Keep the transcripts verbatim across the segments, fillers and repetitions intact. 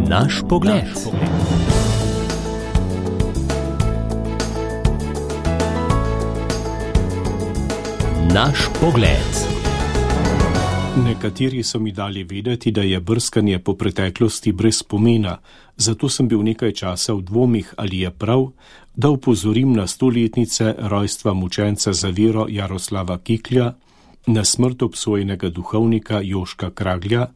Naš pogled. Naš pogled. Nekateri so mi dali vedeti, da je brskanje po preteklosti brez pomena, zato sem bil nekaj časa v dvomih, ali je prav, da upozorim na stoletnice rojstva mučenca za vero Jaroslava Kiklja, na smrt obsojenega duhovnika Joška Kraglja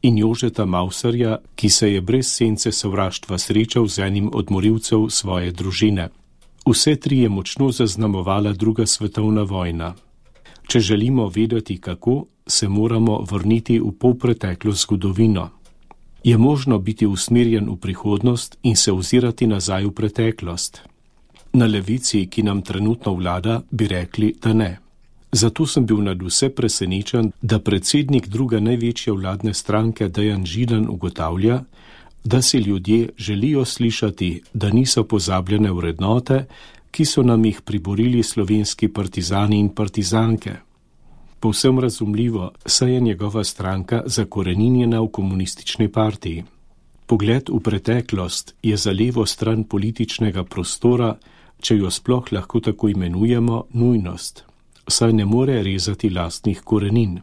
in Jožeta Mauserja, ki se je brez sence sovraštva srečal z enim od morilcev svoje družine. Vse tri je močno zaznamovala druga svetovna vojna. Če želimo vedeti kako, se moramo vrniti v polpreteklo zgodovino. Je možno biti usmerjen v prihodnost in se ozirati nazaj v preteklost? Na levici, ki nam trenutno vlada, bi rekli, da ne. Zato sem bil nadvse presenečen, da predsednik druge največje vladne stranke Dejan Židan ugotavlja, da si ljudje želijo slišati, da niso pozabljene vrednote, ki so nam jih priborili slovenski partizani in partizanke. Povsem razumljivo, saj je njegova stranka zakoreninjena v komunistični partiji. Pogled v preteklost je za levo stran političnega prostora, če jo sploh lahko tako imenujemo, nujnost, saj ne more rezati lastnih korenin.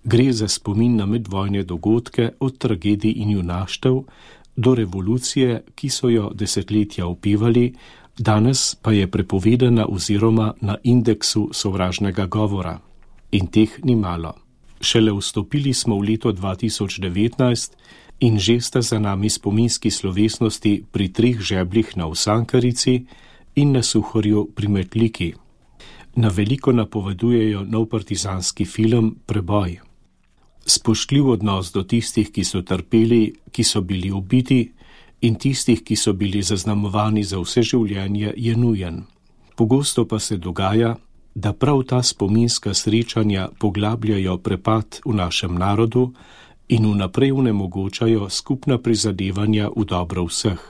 Gre za spomin na medvojne dogodke od tragedij in junaštev do revolucije, ki so jo desetletja opevali, danes pa je prepovedana oziroma na indeksu sovražnega govora. In teh ni malo. Šele vstopili smo v leto dva tisoč devetnajst in že sta za nami spominski slovesnosti pri treh žebljih na Osankarici in na Suhorju pri Metliki. Na veliko napovedujejo nov partizanski film Preboj. Spoštljiv odnos do tistih, ki so trpeli, ki so bili ubiti, in tistih, ki so bili zaznamovani za vse življenje, je nujen. Pogosto pa se dogaja, da prav ta spominska srečanja poglabljajo prepad v našem narodu in vnaprej onemogočajo skupna prizadevanja v dobro vseh.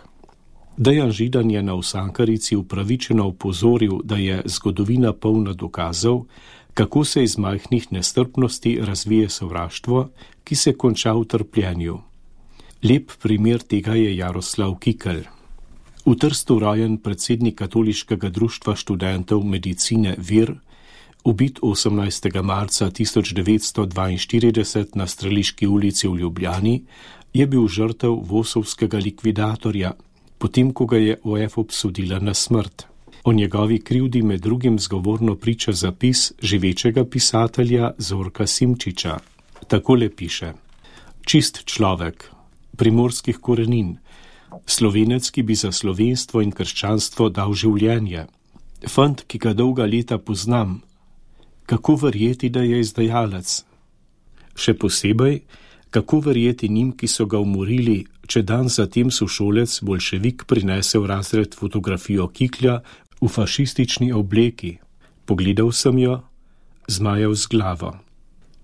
Dejan Židan je na Osankarici upravičeno opozoril, da je zgodovina polna dokazov, kako se iz majhnih nestrpnosti razvije sovraštvo, ki se konča v trpljenju. Lep primer tega je Jaroslav Kikelj. V Trstu rojen predsednik Katoliškega društva študentov medicine Vir, ubit osemnajstega marca tisoč devetsto dvainštirideset na Streliški ulici v Ljubljani, je bil žrtev vosovskega likvidatorja, potem ko ga je O F obsodila na smrt. O njegovi krivdi med drugim zgovorno priča zapis živečega pisatelja Zorka Simčiča. Takole piše: Čist človek, primorskih korenin, Slovenec, ki bi za slovenstvo in krščanstvo dal življenje. Fant, ki ga dolga leta poznam. Kako verjeti, da je izdajalec? Še posebej, kako verjeti njim, ki so ga umorili, če dan zatem sošolec bolševik prinese v razred fotografijo Kiklja v fašistični obleki. Pogledal sem jo, zmajal z glavo.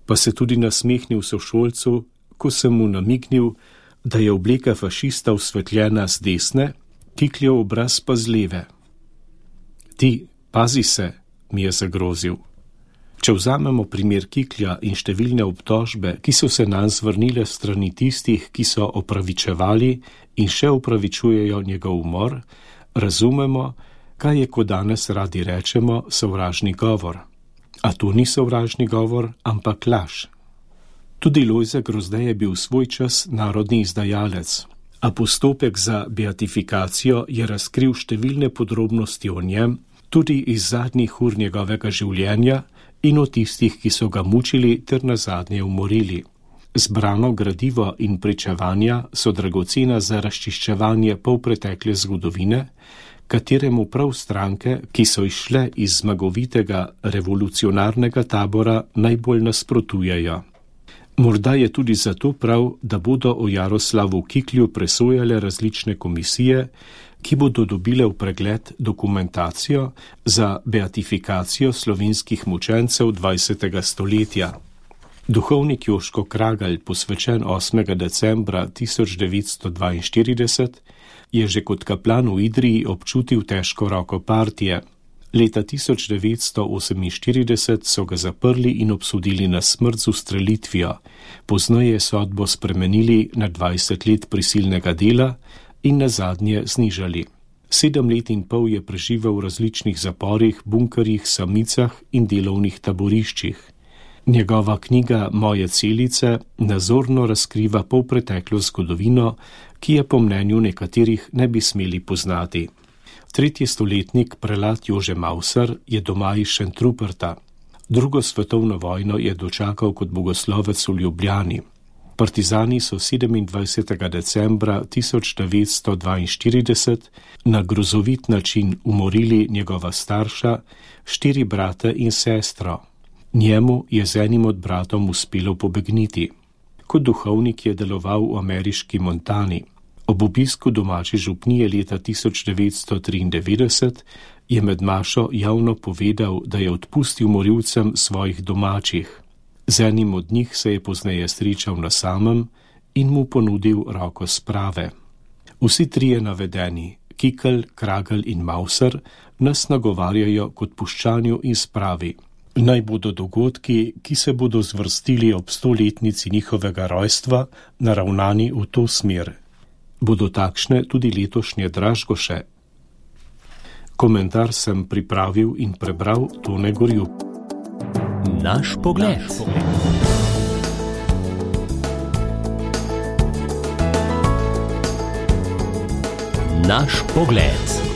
Pa se tudi nasmehnil sošolcu, ko sem mu namignil, da je obleka fašista osvetljena z desne, Kikljev obraz pa z leve. Ti, pazi se, mi je zagrozil. Če vzamemo primer Kiklja in številne obtožbe, ki so se nam zvrnile strani tistih, ki so opravičevali in še opravičujejo njegov umor, razumemo, kaj je, ko danes radi rečemo, sovražni govor. A to ni sovražni govor, ampak laž. Tudi Lojze Grozdej je bil svoj čas narodni izdajalec, a postopek za beatifikacijo je razkril številne podrobnosti o njem, tudi iz zadnjih ur njegovega življenja in o tistih, ki so ga mučili ter nazadnje umorili. Zbrano gradivo in pričevanja so dragocena za razčiščevanje polpretekle zgodovine, kateremu prav stranke, ki so izšle iz zmagovitega revolucionarnega tabora, najbolj nasprotujejo. Morda je tudi zato prav, da bodo o Jaroslavu Kiklju presojale različne komisije, ki bodo dobile v pregled dokumentacijo za beatifikacijo slovenskih mučencev dvajsetega stoletja. Duhovnik Joško Kragelj, posvečen osmega decembra tisoč devetsto dvainštirideset, je že kot kaplan v Idriji občutil težko roko partije, Leta tisoč devetsto oseminštirideset so ga zaprli in obsodili na smrt z ustrelitvijo, pozneje sodbo spremenili na dvajset let prisilnega dela in nazadnje znižali. Sedem let in pol je preživel v različnih zaporih, bunkerjih, samicah in delovnih taboriščih. Njegova knjiga Moje celice nazorno razkriva polpreteklo zgodovino, ki je po mnenju nekaterih ne bi smeli poznati. Tretji stoletnik prelat Jože Mauser je doma iz Šentruperta. Drugo svetovno vojno je dočakal kot bogoslovec v Ljubljani. Partizani so sedemindvajsetega decembra tisoč devetsto dvainštirideset na grozovit način umorili njegova starša, štiri brate in sestro. Njemu je z enim od bratom uspelo pobegniti. Kot duhovnik je deloval v ameriški Montani. Ob obisku domače župnije leta tisoč devetsto triindevetdeset je med mašo javno povedal, da je odpustil morilcem svojih domačih. Z enim od njih se je pozneje srečal na samem in mu ponudil roko sprave. Vsi trije navedeni, Kikl, Kragl in Mauser, nas nagovarjajo k odpuščanju in spravi. Naj bodo dogodki, ki se bodo zvrstili ob stoletnici njihovega rojstva, naravnani v to smer. Bodo takšne tudi letošnje Dražgoše? Komentar sem pripravil in prebral Tone Gorjup. Naš pogled. Naš pogled.